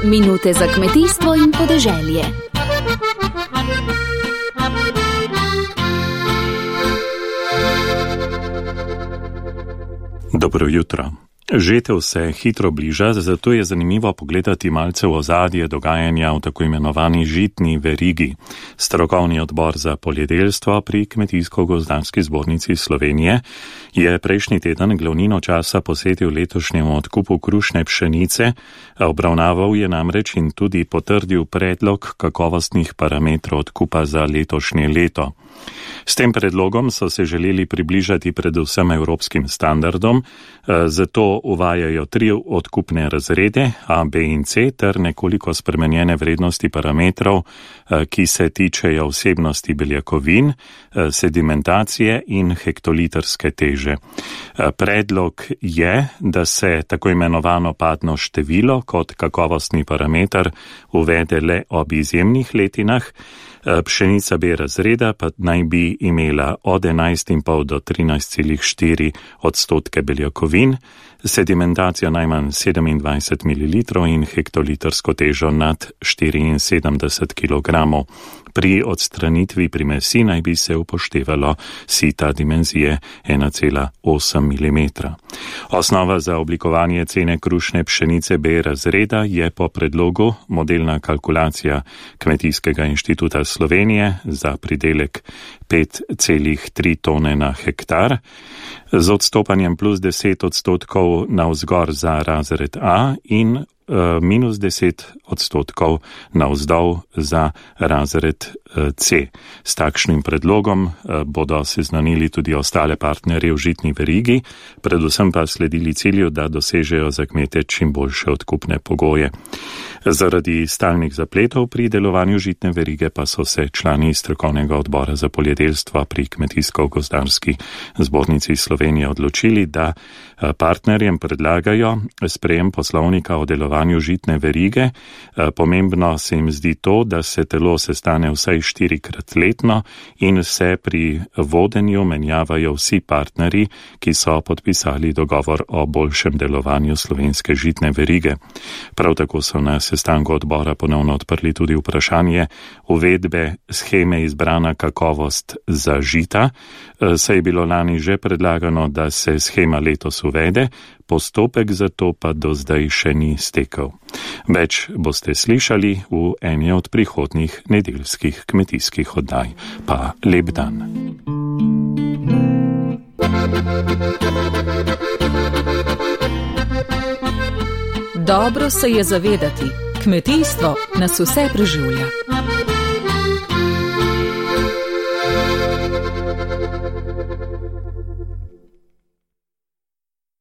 Minute za kmetijstvo in podeželje. Dobro jutro. Žetev se hitro bliža, zato je zanimivo pogledati malce v ozadje dogajanja v tako imenovani žitni verigi. Strokovni odbor za poljedelstvo pri Kmetijsko-gozdarski zbornici Slovenije je prejšnji teden glavnino časa posvetil letošnjemu odkupu krušne pšenice, obravnaval je namreč in tudi potrdil predlog kakovostnih parametrov odkupa za letošnje leto. S tem predlogom so se želeli približati predvsem evropskim standardom, zato uvajajo 3 odkupne razrede A, B in C ter nekoliko spremenjene vrednosti parametrov, ki se tičejo vsebnosti beljakovin, sedimentacije in hektolitrske teže. Predlog je, da se tako imenovano padno število kot kakovostni parameter uvede le ob izjemnih letinah. Pšenica B razreda pa naj bi imela od 11,5 do 13,4 odstotke beljakovin, sedimentacijo najmanj 27 ml in hektolitrsko težo nad 74 kg. Pri odstranitvi primesi naj bi se upoštevalo sita dimenzije 1,8 mm. Osnova za oblikovanje cene krušne pšenice B razreda je po predlogu modelna kalkulacija Kmetijskega inštituta Slovenije za pridelek 5,3 tone na hektar, z odstopanjem plus 10 odstotkov navzgor za razred A in minus 10 odstotkov navzdol za razred C. S takšnim predlogom bodo seznanili tudi ostale partnerje v žitni verigi, predvsem pa sledili cilju, da dosežejo za kmete čim boljše odkupne pogoje. Zaradi stalnih zapletov pri delovanju žitne verige pa so se člani strokovnega odbora za poljedelstvo pri Kmetijsko-gozdarski zbornici Slovenije odločili, da partnerjem predlagajo sprejem poslovnika o delovanju žitne verige. Pomembno se jim zdi to, da se telo sestane vsaj 4-krat letno in se pri vodenju menjavajo vsi partnerji, ki so podpisali dogovor o boljšem delovanju slovenske žitne verige. Prav tako so na sestanku odbora ponovno odprli tudi vprašanje uvedbe sheme izbrana kakovost za žita, saj je bilo lani že predlagano, da se shema letos uvede, postopek za to pa do zdaj še ni stekel. Več boste slišali v eni od prihodnjih nedeljskih kmetijskih oddaj. Pa lep dan. Dobro se je zavedati, kmetijstvo nas vse preživlja.